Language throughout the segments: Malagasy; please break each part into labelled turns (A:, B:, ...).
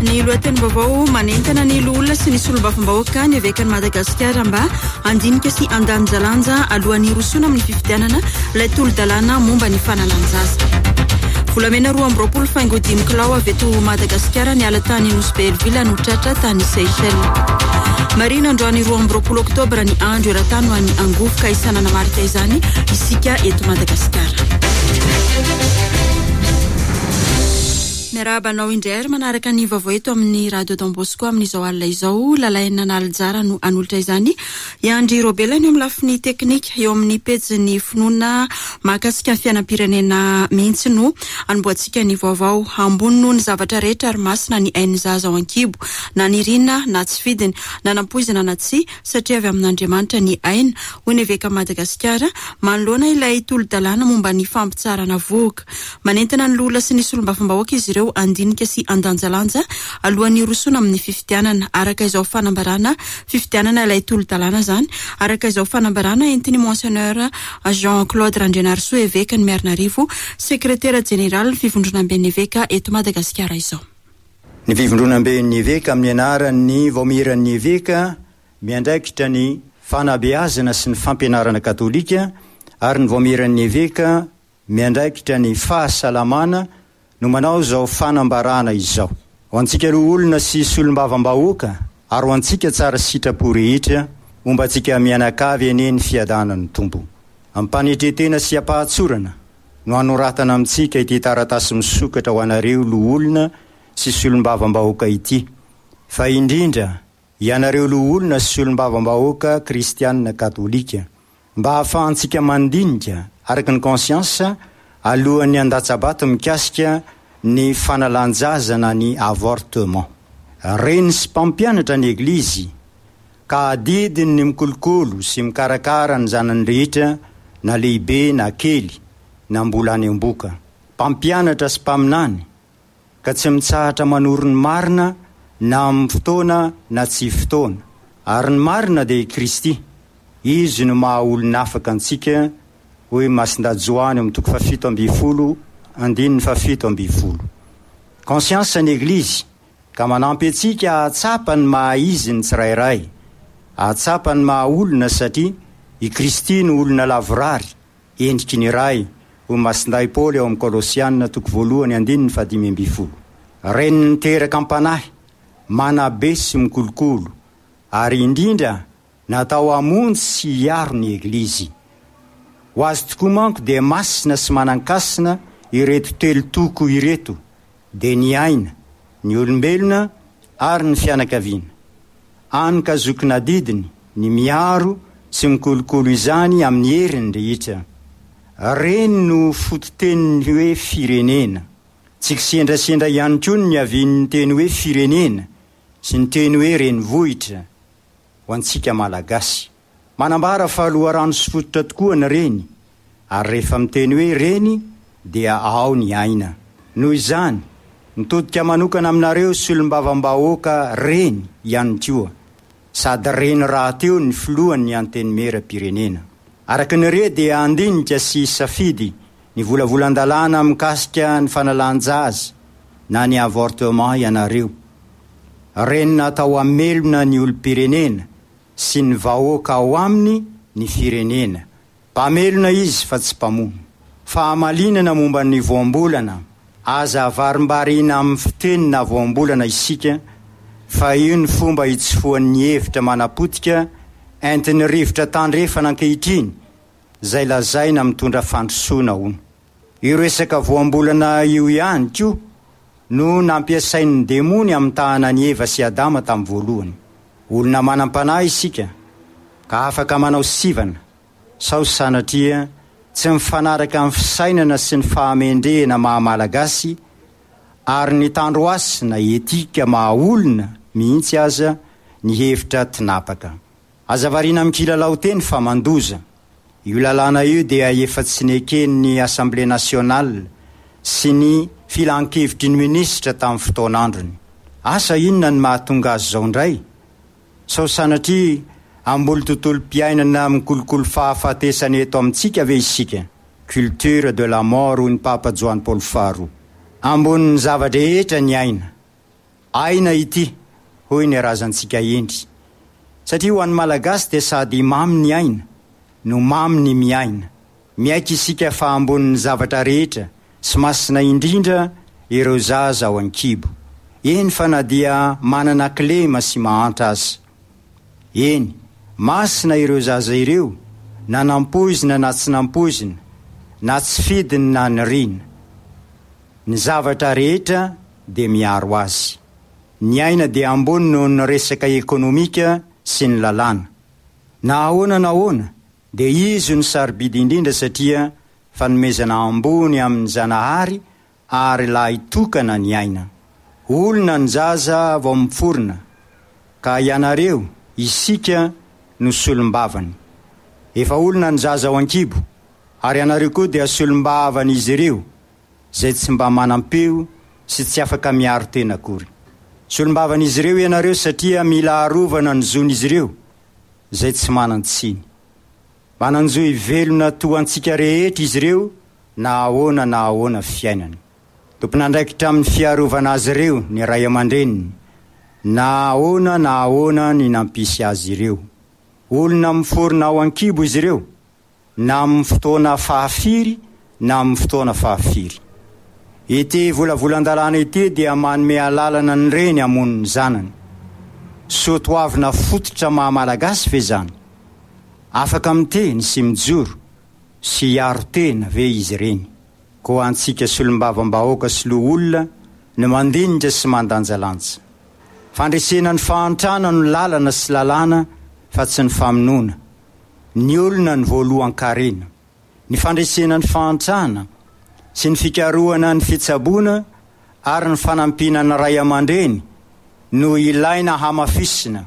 A: Ny lohatenim-baovao manentana ny loholona sy ny solombavambahoaka ny evekan'i Madagasikara mba handinika sy handanjalanja alohan'ny hirosoana amin'ny fifidianana ilay tolo-dalàna momba ny fanalan-jaza. Volamena 22 faingo dimy kilao avy eto Madagasikara niala tany Nosy Be Hell-Ville no tratra tany Seychelles. Marihina androany 22 oktobra ny andro eran-tany ho an'ny angovo ka isan'ny nanamarika izany isika eto Madagasikara. Miarahaba anao indray ary manaraka ny vaovao eto amin'ny Radio Don Bosco amin'izao alina izao. Lalaina Nalijara no hanolotra izany. I Andry Robela ny eo amin'ny lafiny teknika, eo amin'ny pejin'ny finoana mahakasika ny fiainam-pirenena mihitsy no hanombohantsika ny vaovao. Ambony noho ny zavatra rehetra ary masina ny ain'ny zaza ao an-kibo, na nirina na tsy fidiny, na nampoizina na tsia, satria avy amin'Andriamanitra ny aina, hoy ny Evekan'i Madagasikara, manoloana ilay tolo-dalàna momba ny fampitsaharana vohoka. Manentana ny loholona sy ny solombavambahoaka izy ireo handinika sy handanjalanja alohan'ny hirosoana amin'ny fifidianana, araka izao fanambarana fifidianana ilay tolo-dalàna izany, araka izao fanambarana entin'i Monseigneur Jean Claude Randrianarisoa Evekan'i Miarinarivo, Sekretera Jeneralin'ny Fivondronamben'ny Eveka eto Madagasikara izao.
B: Ny Fivondronamben'ny Eveka amin'ny anaran'ny Vaomieran'ny Eveka miandraikitra ny fanabeazana sy ny fampianarana katolika ary ny Vaomieran'ny Eveka miandraikitra ny fahasalamana no manao izao fanambarana izao. Ho antsika loholona sy solombavambahoaka ary ho antsika tsara sitrapo rehetra, homba antsika mianakavy anie ny fiadanan'ny Tompo. Am-panetren-tena sy am-pahatsorana no anoratana amintsika ity taratasy misokatra ho anareo loholona sy solombavambahoaka ity, fa indrindra ianareo loholona sy solombavambahoaka kristianina katolika. Mba hahafahantsika mandinika araka ny conscience alohan'ny handatsa-bato mikasika ny fanalan-jaza na ny avortement. Reny sy mpampianatra ny Eglizy ka adidiny ny mikolokolo sy mikarakara ny zanany rehetra na lehibe na kely na mbola any am-boka. Mpampianatra sy mpaminany ka tsy mitsahatra manoro ny marina na amin'ny fotoana na tsy fotoana. Ary ny marina dia i Kristy. Izy no maha olona afaka antsika, hoy Masindahy Joany ao amin'ny toko fahafito ambin'ny folo andininy fahafito ambin'ny folo. Conscience ny Eglizy ka manampy antsika hahatsapa ny maha izy ny tsirairay, hahatsapa ny maha olona satria i Kristy no olona lavorary, Endriky ny Ray, hoy Masindahy Paoly ao amin'ny Kolosiana toko voalohany andininy fahadimy ambin'ny folo. Reny niteraka am-panahy, manabe sy mikolokolo, ary indrindra natao hamonjy sy hiaro ny Eglizy. Ho azy tokoa manko dia masina sy manan-kasina ireto telo toko ireto, dia ny aina, ny olombelona ary ny fianakaviana. Any ka zokin'adidiny ny miaro sy mikolokolo izany amin'ny heriny rehetra. Reny no fototenin'ny hoe firenena. Tsy kisendrasendra ihany koa ny niavian'ny teny hoe firenena sy ny teny hoe renivohitra ho antsika Malagasy. Manambara fa loharano sy fototra tokoa ny reny, ary rehefa miteny hoe reny dia ao ny aina. Noho izany, mitodika manokana aminareo solombavambahoaka reny ihany koa, sady reny rahateo ny filohan'ny Antenimierampirenena. Araka ny re dia handinika sy hisafidy ny volavolan-dalàna mikasika ny fanalan-jaza na ny avortement ianareo. Reny natao hamelona ny olom-pirenena sy ny vahoaka ao aminy ny firenena. Mpamelona izy fa tsy mpamono. Fahamalinana momba ny voambolana, Aza avarimbarina amin'ny fiteny na voambolana isika fa io ny fomba hitsofohan'ny hevitra manapotika entin'ny rivotra tandrefana ankehitriny izay lazaina mitondra fandrosoana hono. Io resaka voambolana io ihany koa no nampiasain'ny demony hamitahana an'i Eva sy Adama tamin'ny voalohany. Olona manam-panahy isika ka afaka manao sivana sao sanatria tsy mifanaraka amin'ny fisainana sy ny fahamendrehana maha Malagasy ary ny tandrohasina etika maha olona mihitsy aza ny hevitra tinapaka. Aza variana amin'ny kilalao teny fa mandoza. Io lalàna io dia efa tsy neken'ny Assemblée nationale sy ny filankevitry ny minisitra tamin'ny fotoan'androny. Asa inona ny mahatonga azy izao indray? Sao sanatria hamboly tontolom-piainana mikolokolo fahafatesana eto amintsika ve isika? Culture de la mort hoy ny Papa Joany Paoly faharoa. Ambonin'ny zava-drehetra ny aina. Aina ity, hoy ny razantsika hendry. Satria ho an'ny Malagasy dia sady mamy ny aina, no mamy ny miaina. Miaiky isika fa ambonin'ny zavatra rehetra sy masina indrindra ireo zaza ao an-kibo. Eny fa na dia manana kilema sy mahantra aza. Eny, masina ireo zaza ireo na nampoizina na tsy nampoizina, na tsy fidiny na nirina. Ny zavatra rehetra dia miaro azy. Ny aina dia ambony noho ny resaka ekonomika sy ny lalàna. Na ahoana na ahoana dia izy no sarobidy indrindra satria fanomezana ambony amin'ny Zanahary ary lahy tokana ny aina. Olona ny zaza vao miforona ka ianareo, isika, no solombavany. Efa olona ny zaza ao an-kibo ary ianareo koa dia solombavan'izy ireo izay tsy mba manam-peo sy tsy afaka miaro tena akory. Solombavan'izy ireo ianareo satria mila arovana ny zon'izy ireo izay tsy manan-tsiny. Manan-jo hivelona toa antsika rehetra izy ireo na ahoana na ahoana fiainany. Tompon'andraikitra amin'ny fiarovana azy ireo ny ray aman-dreniny, na ahoana na ahoana ny nampisy azy ireo. Olona miforona ao an-kibo izy ireo, na amin'ny fotoana fahafiry na amin'ny fotoana fahafiry. Ity volavolan-dalàna ity dia manome alalana ny reny hamono ny zanany. Soatoavina fototra maha Malagasy ve izany? Afaka miteny sy mijoro sy hiaro tena ve izy ireny? Koa antsika solombavambahoaka sy loholona no mandinika sy mandanjalanja. Fandresena ny fahantrana no lalana sy lalàna fa tsy ny famonoana ny olona ny voalohan-karena. Ny fandresena ny fahantrana sy ny fikarohana ny fitsaboana ary ny fanampiana ny ray aman-dreny no ilaina hamafisina.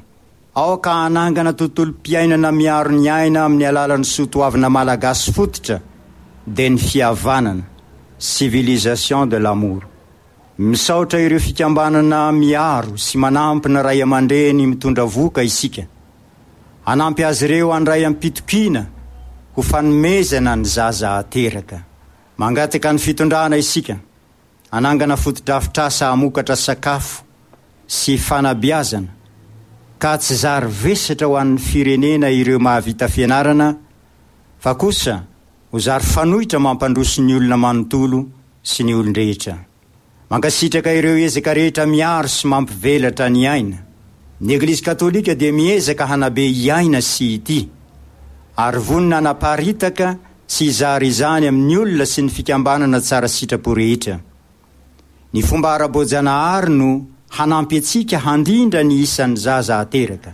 B: Aoka hanangana tontolom-piainana miaro ny aina amin'ny alalan'ny soa toavina malagasy fototra dia ny fihavanana, civilisation de l'amour. Misaotra ireo fikambanana miaro sy manampy ny ray aman-dreny mitondra vohoka isika. Hanampy azy ireo handray am-pitokiana ho fanomezana ny zaza ateraka. Mangataka ny fitondrana isika hanangana fotodrafitrasa hamokatra sakafo sy fanabeazana ka tsy zary vesatra ho an'ny firenena ireo mahavita fianarana fa kosa ho zary fanoitra mampandroso ny olona manontolo sy ny olon-drehetra. Mankasitraka ireo ezaka rehetra miaro sy mampivelatra ny aina. Ny Eglizy Katolika dia miezaka hanabe hiaina sy hitia, ary vonona hanaparitaka sy hizara izany amin'ny olona sy ny fikambanana tsara sitrapo rehetra. Ny fomba ara-boajanahary no hanampy antsika handrindra ny isan'ny zaza ateraka.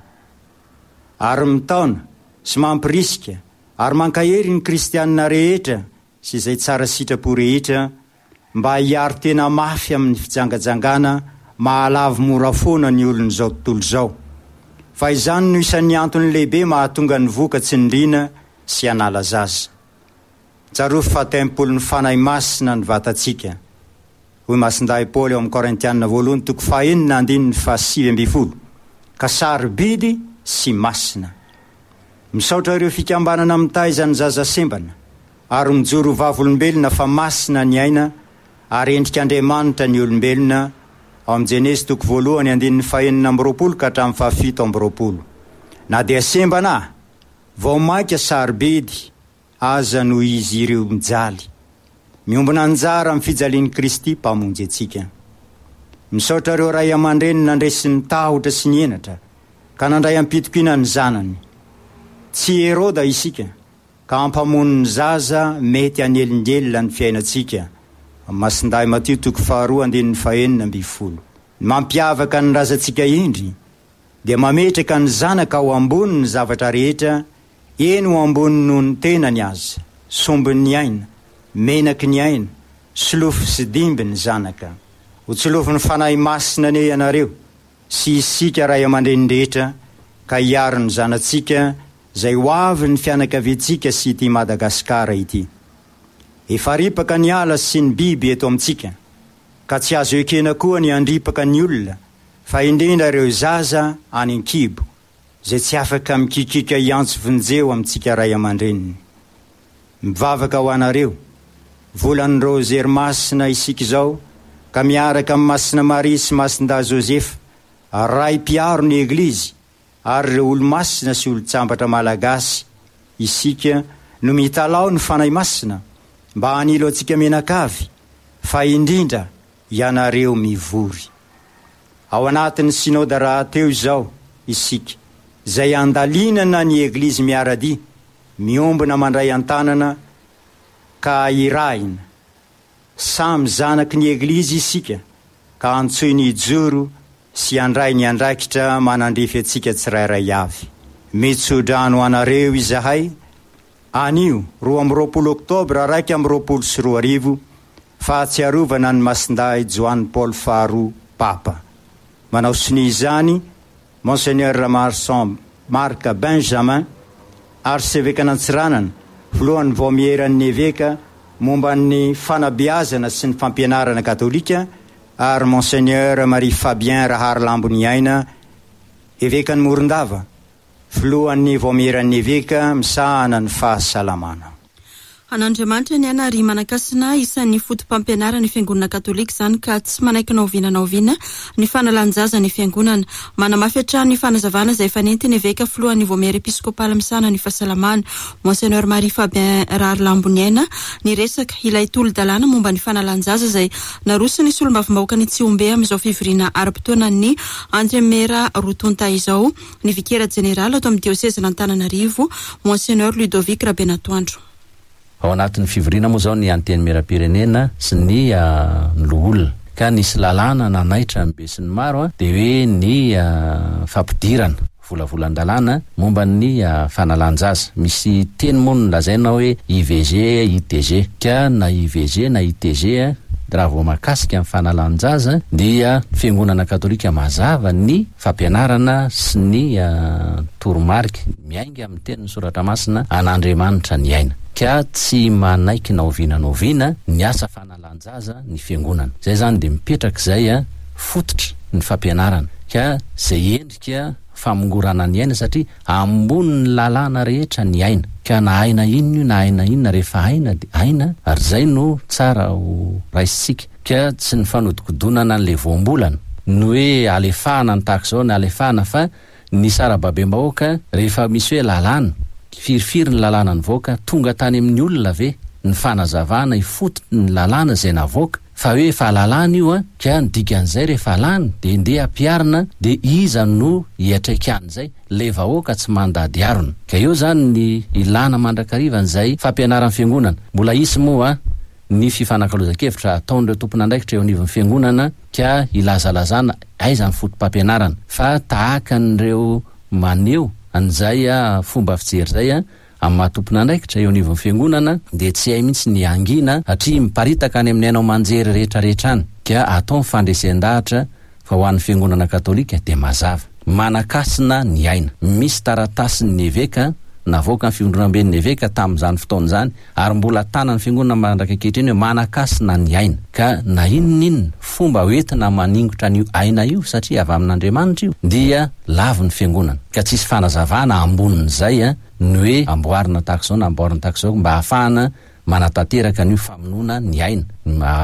B: Ary mitaona sy mampirisika ary mankahery ny kristianina rehetra sy izay tsara sitrapo rehetra mba hiaro tena mafy amin'ny fijangajangana mahalavo mora foana ny olon'izao tontolo izao, fa izany no isan'ny antony lehibe mahatonga ny voka tsy nirina sy hanala zaza. Tsarovy fa tempolin'ny Fanahy Masina ny vatantsika, hoy Masindahy Paoly ao amin'ny Korintiana voalohany toko fahenina andininy faha 19, ka sarobidy sy masina. Misaotra ireo fikambanana mitaiza ny zaza sembana ary mijoro ho vavolombelona fa masina ny aina ary endrik'Andriamanitra ny olombelona, ao amin'ny Jenezy toko voalohany andininy faha-26 ka hatramin'ny faha-27. Na dia sembana, vao mainka sarobidy aza noho izy ireo mijaly. Miombona anjara amin'ny fijalian'i Kristy Mpamonjy antsika. Misaotra ireo ray aman-dreny nandresy ny tahotra sy ny henatra ka nandray am-pitokiana ny zanany. Tsy Heroda isika ka hampamono ny zaza mety hanelingelina ny fiainantsika, Masindahy Matio toko faharoa andininy faha-16. Ny mampiavaka ny razantsika indry dia mametraka ny zanaka ao ambony ny zavatra rehetra, eny ho ambony noho ny tenany aza, sombin'ny aina, menaky ny aina, solofo sy dimby ny zanaka. Ho tsolovin'ny Fanahy Masina anie ianareo sy isika ray aman-dreny rehetra ka hiaro ny zanatsika izay ho avy ny fianakaviantsika sy ity Madagasikara ity. Efa ripaka ny ala sy ny biby eto amintsika ka tsy azo ekena koa ny handripaka ny olona fa indrindra ireo zaza any an-kibo izay tsy afaka mikikiaka hiantso vonjeo amintsika ray aman-dreniny. Mivavaka ho anareo. Volan'ny Raozery Masina isika izao. Ka miaraka amin'i Masina Maria sy Masindahy Josefa, Ray mpiaro ny Eglizy, ary ireo olomasina sy olon-tsambatra malagasy, isika no mitalaho ny Fanahy Masina mba hanilo antsika mianakavy, fa indrindra ianareo mivory. Ao anatin'ny Synoda rahateo izao isika, izay andalinana ny Eglizy miara-dia, miombona mandray an-tanana ka irahina. Samy zanaky ny Eglizy isika ka antsoiny hijoro sy handray ny andraikitra manandrify antsika tsirairay avy. Mitso-drano anareo izahay anio 22 oktobra 2021, fahatsiarovana an'i Masindahy Joany Paoly faharoa Papa. Manao sonia izany Monseigneur Ramarson Marc Benjamin, Arsevekan'Antsiranana, filohan'ny Vaomieran'ny Eveka momba ny fanabeazana sy ny fampianarana katolika, ary Monseigneur Marie Fabien Raharilamboniaina, Evekan'i Morondava, filohan'ny Vaomieran'ny Eveka misahana ny fahasalamana.
A: An'Andriamanitra ny aina ary manan-kasina isan'ny foto-pampianaran'ny Fiangonana Katolika izany ka tsy manaiky na oviana na oviana ny fanalan-jaza ny Fiangonana. Manamafy hatrany ny fanazavana izay efa nentin'ny Eveka filohan'ny Vaomiera Episkopaly misahana ny fahasalamana, Monseigneur Marie Fabien Raharilamboniaina, niresaka ilay tolo-dalàna momba ny fanalan-jaza izay naroson'ny solombavambahoakan'i Tsihombe amin'izao fivoriana ara-potoanan'ny Antenimiera roa tonta izao ny Vikera Jeneraly ato amin'ny Diosezin'Antananarivo, Monseigneur Ludovic Rabenatoandro.
C: Ao anatin'ny fivoriana moa izao ny Antenimierampirenena sy ny loholona ka nisy lalàna nanaitra ny besinimaro dia hoe ny fampidirana volavolan-dalàna momba ny fanalan-jaza. Misy teny moa nolazaina hoe IVG, ITG. Ka na IVG na ITG raha vao mahakasika ny fanalan-jaza dia Fiangonana Katolika mazava ny fampianarana sy ny toromarika miainga amin'ny tenin'ny Soratra Masina an'Andriamanitra ny aina. Ka tsy manaiky na oviana na oviana ny asa fanalan-jaza ny Fiangonana. Izay izany dia mipetraka izay fototry ny fampianarana. Ka izay endrika famongorana ny aina satria ambonin'ny lalàna rehetra ny aina. Ka na aina inona io na aina inona rehefa aina dia aina ary izay no tsara ho raisintsika. Ka tsy ny fanodikodonana an'ilay voambolana, ny hoe alefahana ny tahaka izao na alefahana fa ny sarababem-bahoaka rehefa misy hoe lalàna, firifiry ny lalàna nivoaka, tonga tany amin'ny olona ve ny fanazavana ifotony ny lalàna izay navoaka fa hoe efa lalàna io an, ka ny dikan'izay rehefa lany dia ndeha ampiharina dia iza no hiatraikan'izay, ilay vahoaka tsy mandady harona. Ka eo izany ny ilàna mandrakariva an'izay fampianaran'ny fiangonana. Mbola hisy moa ny fifanakalozan-kevitra ataon'ireo tompon'andraikitra eo anivon'ny fiangonana ka hilazalazana aiza ny foto-pampianarana fa tahaka an'ireo maneho an'izay fomba fijery izay amin'ny maha tompon'andraikitra eo anivon'ny fiangonana dia tsy hay mihitsy ny hangina satria miparitaka any amin'ny haino aman-jery rehetra rehetra any ka atao ny fandresen-dahatra fa ho an'ny fiangonana katolika dia mazava. Manan-kasina ny aina. Misy taratasin'ny eveka navoakan'ny fivondronamben'ny eveka tamin'izany fotoana izany ary mbola tanan'ny fiangonana mandraka ankehitriny hoe manan-kasina ny aina. Ka na inona inona fomba hoentina maningotra an'io aina io satria avy amin'Andriamanitra io dia lavin'ny fiangonana. Ka tsisy fanazavana ambonin'izay ny hoe amboarina tahaka izao na amboarina tahaka izao mba hahafahana manatanteraka an'io famonoana ny aina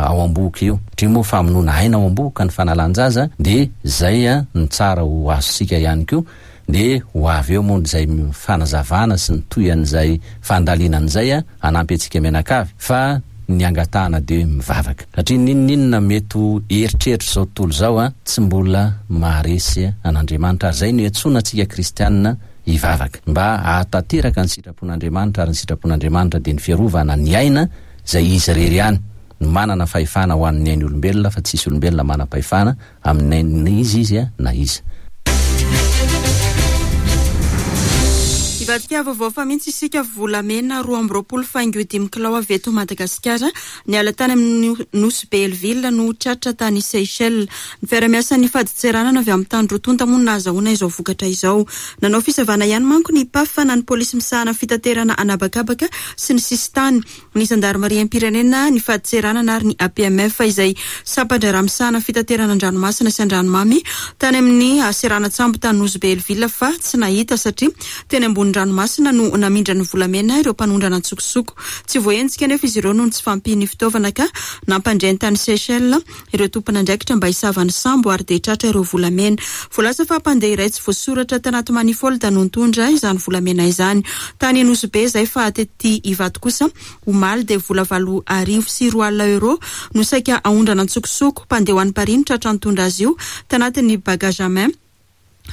C: ao am-bohoka io. Satria moa famonoana aina ao am-bohoka ny fanalan-jaza dia izay no tsara ho azontsika ihany koa dia ho avy eo moa izay fanazavana sy ny tohian'izay fandalinana izay hanampy antsika mianakavy fa ny angatahana dia mivavaka. Satria n'inon'inona mety ho eritreritr'izao tontolo izao tsy mbola maharesy an'Andriamanitra ary izay no iantsoana antsika kristianina hivavaka mba hahatanteraka ny sitrapon'Andriamanitra ary ny sitrapon'Andriamanitra dia ny fiarovana ny aina izay Izy irery ihany no manana fahefana ho an'ny ain'ny olombelona fa tsisy olombelona manam-pahefana amin'ny ain'iza izy na iza.
A: Hivadika vaovao fa mihitsy isika volamena 22 faingo dimy kilao avy eto Madagasikara niala tany amin'ny Nosy Belleville no tratra tany Seychelles. Ny fiarahamiasan'ny fadintseranana avy amin'ny tany roa tonta moa no nahazahoana izao vokatra izao. Nanao fisavana ihany manko ny PAF na ny polisy misahana fitaterana an'habakabaka sy ny sisintany, ny zandarimariam-pirenena, ny fadintseranana ary ny APMF izay sampan-draharaha misahana fitaterana an-dranomasina sy an-dranomamy tany amin'ny seranan-tsambo tany Nosy Belleville fa tsy nahita satria teny ambony rano. amoron-dranomasina no namindra ny volamena ireo mpanondrana an-tsokosoko. Tsy voahenjika anefa izy ireo noho ny tsy fahampian'ny fitaovana ka nampandre ny tany Seychelles ireo tompon'andraikitra mba hisava ny sambo ary dia tratra ireo volamena. Voalaza fa mpandeha iray tsy voasoratra tanaty manifold no nitondra izany volamena izany. Tany Nosy Be izay fa tety Ivato kosa omaly dia vola 2 800 euros no saika aondrana an-tsokosoko. Mpandeha ho any Paris no tratra nitondra azy io tanatin'ny bagage à main.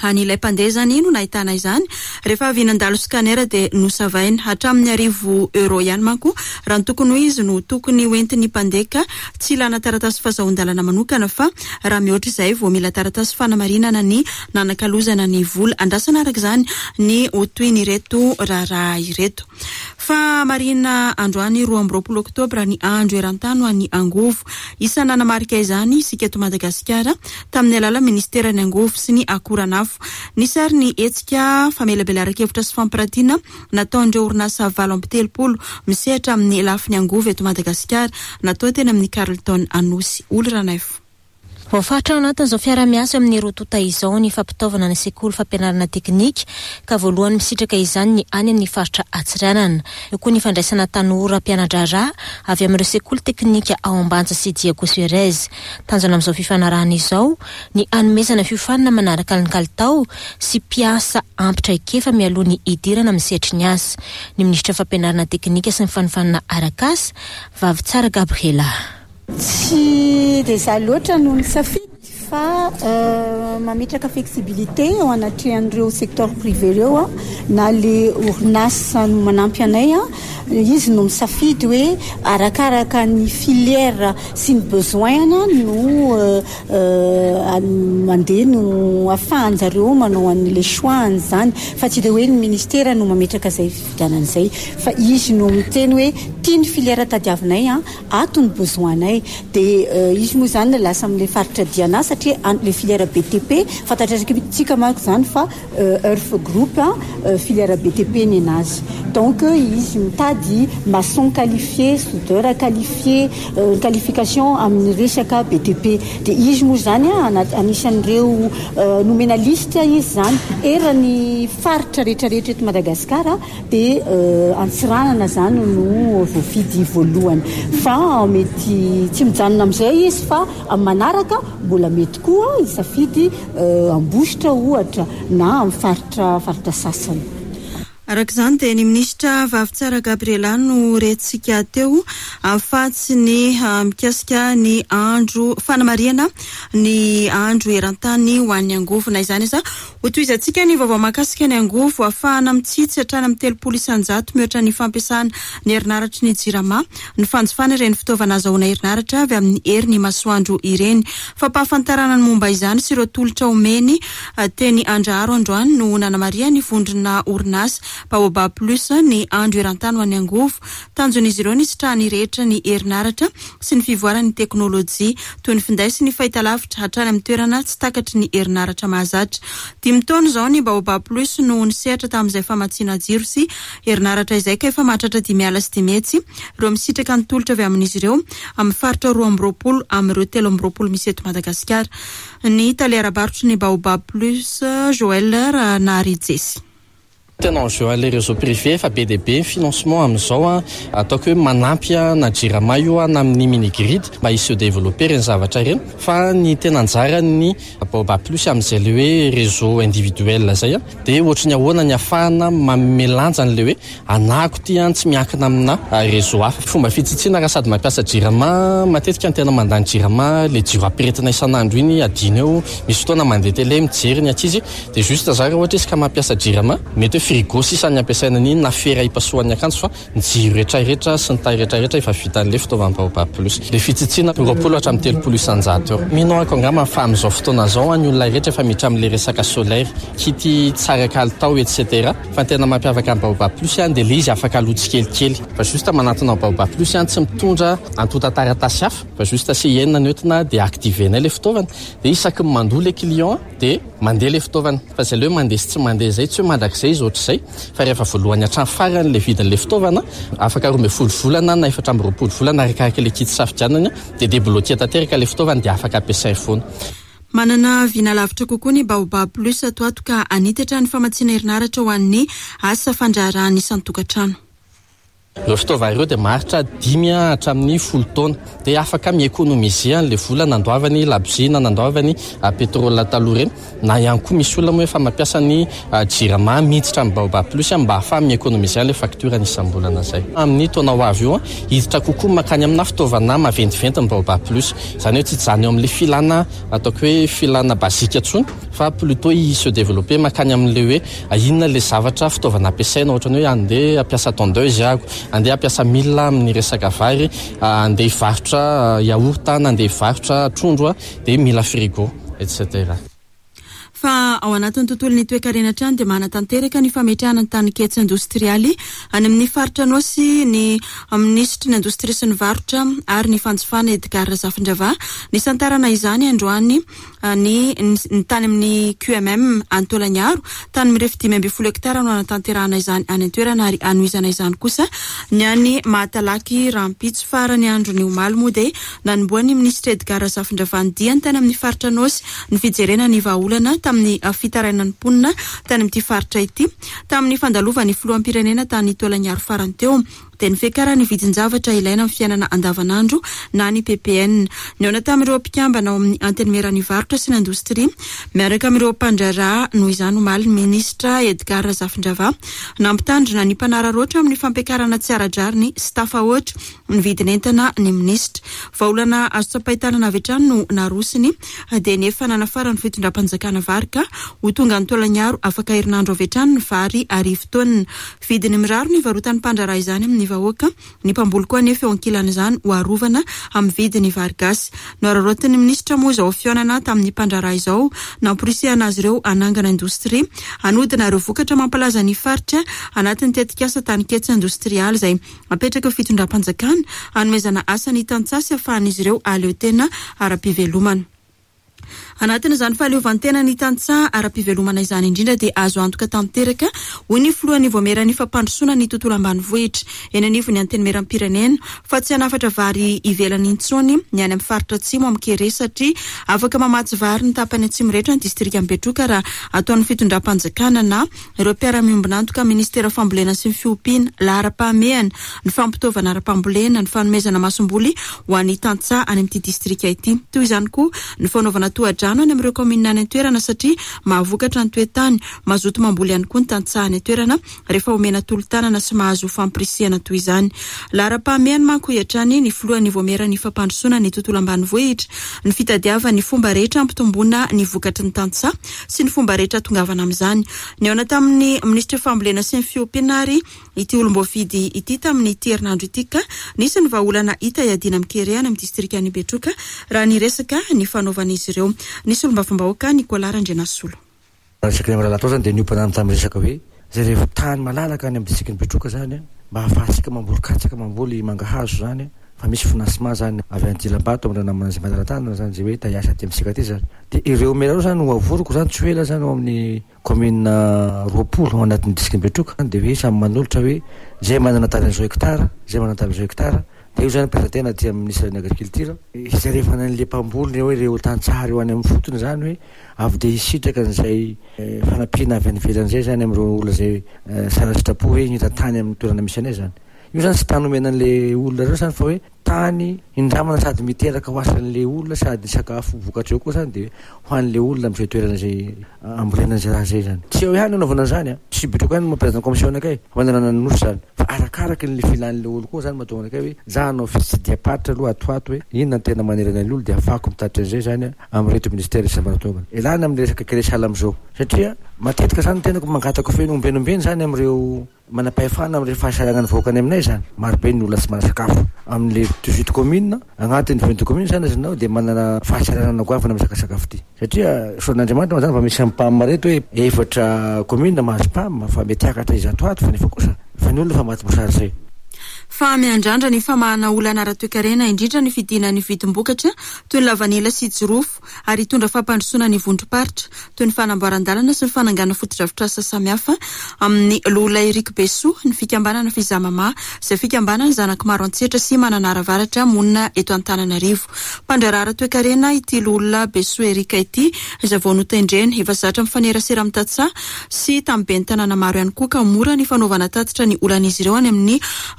A: Any ilay mpandeha izany no nahitana izany. Rehefa avy nandalo scanner dia nosavaina. Hatramin'ny 1000 euro ihany manko raha ny tokony ho izy no tokony hoentin'ny mpandeha ka tsy ilana taratasy fahazoan-dalana manokana fa raha mihoatra izay vao mila taratasy fanamarinana ny nanakalozana ny vola. Andrasana araka izany ny ho tohin'ireto raharaha ireto. Fa marihina androany 22 oktobra ny andro eran-tany ho an'ny angovo. Isan'ny nanamarika izany isika eto Madagasikara tamin'ny alalan'ny ministeran'ny angovo sy ny akoranafo. Nisy ary ny hetsika famelabelaran-kevitra sy fampiratiana nataon'ireo orinasa 38 misehatra amin'ny lafiny angovo eto Madagasikara natao teny amin'ny Carlton Anosy. Oly Ranaivo.
D: Voafaritra ao anatin'izao fiarahamiasa amin'ny roa tonta izao ny fampitaovana ny sekoly fampianarana teknika ka voalohany misitraka izany ny any amin'ny faritra Antsiranana. Eo koa ny fandraisana tanora mpiana-draharaha avy amin'ireo sekoly teknika ao Ambanja sy Diego Suarez. Tanjona amin'izao fifanarahana izao ny hanomezana fiofanana manaraka ny kalitao sy mpiasa ampy traikefa mialoha ny hidirana amin'ny sehatry ny asa. Ny minisitra fampianarana teknika sy ny fanofanana arak'asa, Vavitsara Gabriela.
E: Tsy dia izaho loatra no nisafidy fa mametraka flexibilité eo anatrehan'ireo secteur privé ireo na le orinasa no manampy anay, izy no misafidy hoe arakaraka ny filière sy ny besoin no mandeha no ahafahan'zareo manao an'le choix an'izany fa tsy de hoe ny ministera no mametraka izay fifidianana izay fa izy no miteny hoe tia ny filière tadiavinay ato ny besoin-nay. Dia izy moa izany lasa amin'ilay faritra Diana satria le filière BTP fantatratsika manko izany fa Earth Group filière BTP ny anazy, donc izy mitady maçon qualifié, soudeur qualifié, qualification amin'ny resaka BTP. Dia izy moa izany anisan'ireo nomena liste izy izany eran'ny faritra rehetrarehetra eto Madagasikara. Dia Antsiranana izany no voafidy voalohany. Fa mety tsy mijanona amin'izay izy fa amin'ny manaraka mbola mety koa hisafidy Ambositra ohatra na amin'ny faritra faritra sasany.
A: Araka izany dia ny minisitra Vavitsara Gabriela no rentsika teo fa tsy ny mikasika ny andro fanamarihana ny andro eran-tany ho an'ny angovo. Na izany aza Hotohizantsika ny vaovao mahakasika ny angovo ahafahana mitsitsy hatrany amin'ny 30% mihoatra ny fampiasana ny herinaratry ny Jirama, ny fanjifana ireny fitaovana azahoana herinaratra avy amin'ny herin'ny masoandro ireny. Fampahafantarana ny momba izany sy ireo tolotra omeny teny Andraharo androany no nanamarihan'ny vondrona orinasa Baobab Plus ny andro eran-tany ho an'ny angovo. Tanjon'izy ireo ny hisitrahan'ny rehetra ny herinaratra sy ny fivoaran'ny teknolojia, toy ny finday sy ny fahitalavitra, hatrany amin'ny toerana tsy takatry ny herinaratra mahazatra. Dimy taona izao ny Baobab Plus no nisehatra tamin'izay famatsiana jiro sy herinaratra izay ka efa mahatratra 550 ireo misitraka ny tolotra avy amin'izy ireo amin'ny faritra 22 amin'ireo 23 misy eto Madagasikara. Ny tale ara-barotry ny Baobab Plus, Joël Ranarijesy.
F: Tena enjeu an'ilay réseau privé efa be dia be ny financement amin'izao an, ataoko hoe manampy na Jirama io na amin'ny mini grid mba hi se développer ireny zavatra ireny fa ny tena anjaran'ny Baobab Plus amin'izay ilay hoe réseau individuel izay an, dia ohatry ny ahoana ny ahafahana manome lanja an'ilay hoe anahako ity an, tsy miankina amina réseau hafa. Fomba fitsitsiana raha sady mampiasa Jirama, matetika ny tena mandany Jirama ilay jiro ampiretina isan'andro iny adino eo, misy fotoana mandeha télé mijery ny ankizy. Dia juste za raha ohatra izy ka mampiasa jirama, mety hoe frigo sisa ny ampiasaina an'iny na fera hipasohany akanjo fa ny jiro rehetra rehetra sy ny taille rehetra rehetra efa vitan'ilay fitaovan'ny Baobab Plus. Ilay fitsitsiana 20 hatramin'ny 30% eo. Mino aho angamba fa amin'izao fotoana izao ny olona rehetra efa miditra amin'ilay resaka solaire, kit tsara kalitao etc. Fa ny tena mampiavaka ny Baobab Plus dia ilay izy afaka aloa tsikelikely. Fa juste manantona ao Baobab Plus tsy mitondra antontan-taratasy hafa fa juste CIN no entina dia activer-nay ilay fitaovana. Dia isaky ny mandoa ilay client dia mandeha ilay fitaovana. Fa izay ilay hoe mandeha sy tsy mandeha izay, tsy hoe mandrakizay izy ohatr'izay, fa rehefa voalohany hatramin'ny farany ilay vidin'ilay fitaovana, afaka 12 volana na 24 volana arakaraka ilay kit safidianana, dia debloquer tanteraka ilay fitaovana dia afaka ampiasainy foana.
A: Manana vina lavitra kokoa ny Baobab Plus ato ato ka hanitatra ny famatsiana herinaratra ho an'ny asa fandraharahan'ny isan-tokantrano.
F: Ireo fitaovana ireo dia maharitra dimy hatramin'ny folo taona. Dia afaka mi-economiser an'ilay vola nandoavany labozia na nandoavany pétrole taloha ireny. Na ihany koa misy olona moa efa mampiasa ny Jirama miditra amin'ny Baobab Plus mba ahafahany mi-economiser an'ilay facture-ny isam-bolana izay. Amin'ny taona ho avy io, hiditra kokoa mankany amina fitaovana maventiventy ny Baobab Plus. Izany hoe tsy hijanona eo amin'ilay filana ataoko hoe filana basique intsony fa plutôt hi se développer mankany amin'ilay hoe inona ilay zavatra fitaovana ampiasaina ohatran'ny hoe andeha hampiasa tondeuse aho, andeha hampiasa milina amin'ny resaka vary, andeha hivarotra yaourt na andeha hivarotra trondro dia mila frigo etc.
A: Fa ao anatin'ny tontolon'ny toekarena hatrany dia manatanteraka ny fametrahana ny taninketsa indostrialy any amin'ny faritra Anôsy ny minisitry ny Indostria sy ny Varotra ary ny Fanjifana Edgard Razafindravaha. Nisantarana izany androany ny ny tany amin'ny QMM any Taolagnaro. Tany mirefy 15 hektara no hanatanterahana izany any an-toerana ary hanohizana izany kosa ny any Mahatalaky rahampitso. Farany andron'ny omaly moa dia Nanombohan'ny minisitra Edgard Razafindravaha ny diany tany amin'ny faritra Anôsy ny fijerena ny vahaolana tamin'ny fitarainan'ny mponina tany amin'ity faritra ity. Tamin'ny fandalovan'ny filoham-pirenena tany Taolagnaro farany teo dia ny fiakaran'ny vidin-javatra ilaina amin'ny fiainana andavanandro na ny ppn. Nihaona tamin'ireo mpikambana ao amin'ny Antenimieran'ny varotra sy ny indostria miaraka amin'ireo mpandraharaha noho izany omaly ny minisitra Edgard Razafindravaha. Nampitandrina ny mpanararaotra amin'ny fampiakarana tsy ara-drariny sy tafahoatra ny vidin'entana ny minisitra. Vahaolana azo tsapain-tanana avy hatrany no narosony dia ny efa nanafaran'ny fitondram-panjakana vary ka ho tonga any Taolagnaro afaka herinandro avy hatrany ny vary arivo taonina. Vidiny mirary no ivarotan'ny mpandraharaha izany amin'ny vahoaka, ny mpamboly koa anefa eo ankilan'izany ho arovana amin'ny vidiny vary gasy. Noararaotin'ny minisitra moa izao fihaonana tamin'ny mpandraharaha izao namporisihana azy ireo hanangana indostria hanodina ireo vokatra mampalaza ny faritra anatin'ny tetikasa taninketsa indostrialy izay Apetraka eo fitondram-panjakana hanomezana asa ny tantsaha sy afahan'izy ireo hahaleo tena ara-pivelomana. Anatin'izany fahaleovantena ny tantsaha ara-pivelomana izany indrindra dia azo antoka tanteraka, hoy ny filohan'ny Vaomieran'ny fampandrosoana ny tontolo ambanivohitra eny anivon'ny Antenimierampirenena, fa tsy hanafatra vary ivelany intsony ny any amin'ny faritra atsimo amin'ny kere satria afaka mamatsy vary ny tapany atsimo rehetra ny distrikan'i Betroka raha ataon'ny fitondram-panjakana na Ireo mpiara-miombon'antoka amin'ny Minisitera Fambolena sy ny Fiompiana, laharam-pahamehana, ny fampitaovana ara-pambolena, ny fanomezana masomboly ho an'ny tantsaha any amin'ity distrika ity. Toy izany koa ny fanaovana tohadrano any amin'ireo kaominina any an-toerana satria mahavokatra ny toe-tany. Mazoto mamboly ihany koa ny tantsaha any an-toerana rehefa omena tolo-tanana sy mahazo fampirisihana toy izany. Laharam-pahamehana manko, hoy hatrany ny filohan'ny Vaomieran'ny Fampandrosoana ny Tontolo Ambanivohitra, ny fitadiavana ny fomba rehetra hampitomboana ny vokatry ny tantsaha sy ny fomba rehetra hahatongavana amin'izany. Nihaona tamin'ny minisitry ny Fambolena sy ny Fiompiana ary ity olom-boafidy ity tamin'ity herinandro ity ka nisy ny vahaolana hita hiadiana amin'ny kere any amin'ny distrikan'i Betroka raha ny resaka nifanaovan'izy ireo. Ny solombavambahoaka Nicolas Randrianasolo.
G: Raha resaka ny Amiralatao izany dia niompana tamin'ny resaka hoe izay rehefa tany malalaka any amin'ny distrikan'i Betroka izany mba hahafahantsika mamboly katsaka, mamboly mangahazo izany fa misy financement izany avy any Dilambato amin'ireo namana izay manara-tanana izany izay hoe ta hiasa aty amintsika aty izany. Dia ireo mera ireo izany ho avoriko izany tsy ho ela izany ao amin'ny commune 20 ao anatin'ny distrikan'i Betroka dia hoe samy manolotra hoe izay manana tany an'izao hectare, izay manana tany an'izao hectare dia io izany présenter-na aty amin'ny ministeran'ny agriculture hijerevana an'ilay mpamboly hoe ireo tantsaha ireo any amin'ny fotony izany hoe avy dia hisitraka an'izay fanampiana avy any ivelany izay izany amin'ireo olona izay tsara sitrapo hoe hita tany amin'ny toerana misy anay izany. Io izany tsy tany omena an'ilay olona ireo izany fa hoe tany indramana sady miteraka ho asan'ilay olona sady ny sakafo vokatra eo koa izany dia ho an'ilay olona amin'izay toerana izay ambolena an'izay raha izay izany. Tsy eo ihany anaovana an'izany an! Tsy Betroka ihany no mampilaza ny commission anakay fa manerana ny nosy izany. Fa arakaraky ny filan'ilay olona koa izany mahatonga anakay hoe za hanao fitsidiham-paritra aloha ato ho ato hoe inona no tena manerana ny olona dia ahafahako mitatitra an'izay izany an! amin'ireto ministera isan-baratongany. Elana amin'ny resaka kere sahala amin'izao. Satria matetika izany ny tenako mangataka feno ombieny ombieny izany amin'ireo manam-pahefana amin'ireo fahasahiranan'ny vahoaka any aminay izany. Marobe ny olona tsy manana-sakafo. Amin'ilay 18 communes, agnatin'ny 22 communes izany ianao dia manana fahasahiranana goavana amin'ny resaka sakafo ity. Satria soan'Andriamanitra moa izany fa misy amin'ny PAM ireto hoe efatra communes mahazo PAM fa mety hiakatra izato ato fa nefa kosa fa ny olona efa maty mosary izay.
A: Fa miandrandra ny famahana olana ara-toekarena, indrindra ny fidinan'ny vidim-bokatra toy ny lavanila sy jirofo, ary hitondra fampandrosoana ny vondrom-paritra, toy ny fanamboaran-dalana sy ny fananganana fotodrafitrasa samihafa amin'ny Loholona Eric Besoa, ny fikambanana Fizamama, izay fikambanan'ny zanak'i Maroantsetra sy Mananara Avaratra monina eto Antananarivo. Mpandraharaha ara-toekarena ity Loholona Besoa Eric ity, izay vao notendrena. Efa zatra mifanerasera amin'ny tantsaha sy tamin'ny ben'ny tanàna maro ihany koa ka mora ny fanaovana tatitra ny olan'izy ireo any amin'ny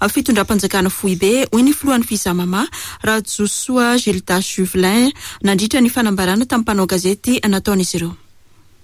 A: fitondram-panjakana foibe, hoy ny filohan'ny Fizamama, Rajosoa Gildas Juvelin, nandritra ny fanambarana tamin'ny mpanao gazety nataon'izy ireo.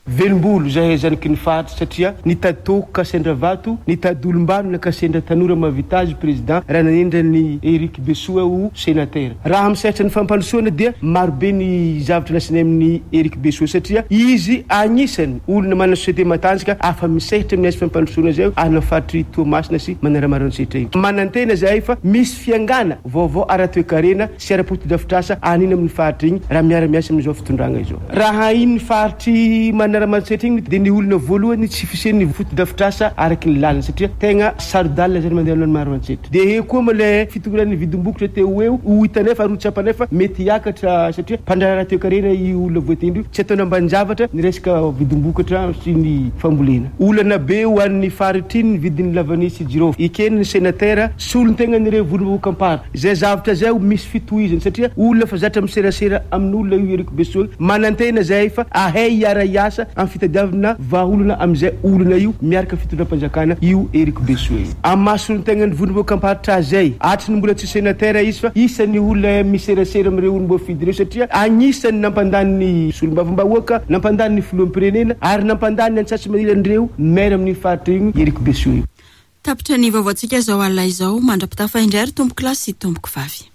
H: Velombolo zahay zanaky ny faritra satria nitady toaka ka sendra vato, nitady olombanona ka sendra tanora mahavita azy président raha nanendry an'i Eric Besoa ho sénateur. Raha amin'ny sehatra ny fampandrosoana dia marobe ny zavatra lazainay amin'i Eric Besoa satria izy agnisany olona manana société matanjaka afa misehatra amin'ny asa fampandrosoana izay any amin'ny faritr'i Toamasina sy Manaramaroantsetra iny. Manantena zahay fa misy fiangana vaovao ara-toekarena sy ara-potodrafitrasa any iny amin'ny faritra iny raha miara-miasa amin'izao fitondragna izao. Raha iny faritr'i Manaramaroantsetra iny dia ny olona voalohany tsy fisian'ny fotodrafitrasa araky ny lalana satria tegna saro-dalana zany mandeha any Maroantsetra. Dia eo koa moa ilay fitokiran'ny vidim-bokotra teo ho eo ho hitanay fa ary ho tsapanay fa mety hiakatra satria mpandraharaha toekarena io olona voatendry io. Tsy ataony ambanin-javatra ny resaka vidim-bokatra sy ny fambolena. Olana be ho an'ny faritra iny ny vidin'ny lavanila sy jirofo. Ekeny ny senatera solontenan'ireo vondrom-bahoakam-paritra. Izay zavatra izay ho misy fitohizany satria olona efa zatra miserasera amin'olona io Eric Besoa io. Manantena izahay fa ahay hiara-hiasa amin'ny fitadiavana vahaolana amin'izay olana io miaraka fitondram-panjakana io Eric Besoa io. Amin'ny maha solontegnan'ny vondrom-bahoakam-paritra azy izay, hatry ny mbola tsy senatera izy fa isan'ny olona miserasera amin'ireo olom-boafidy ireo satria agnisan'ny nampandany ny solombavambahoaka, nampandany ny filoham-pirenena ary nampandany ny antsasa-manilan'ireo maire amin'iny faritra iny Eric Besoa io.
A: Tapitra ny vaovaontsika izao alina izao. Mandra-pitafa indray ry tompokolahy sy tompokovavy.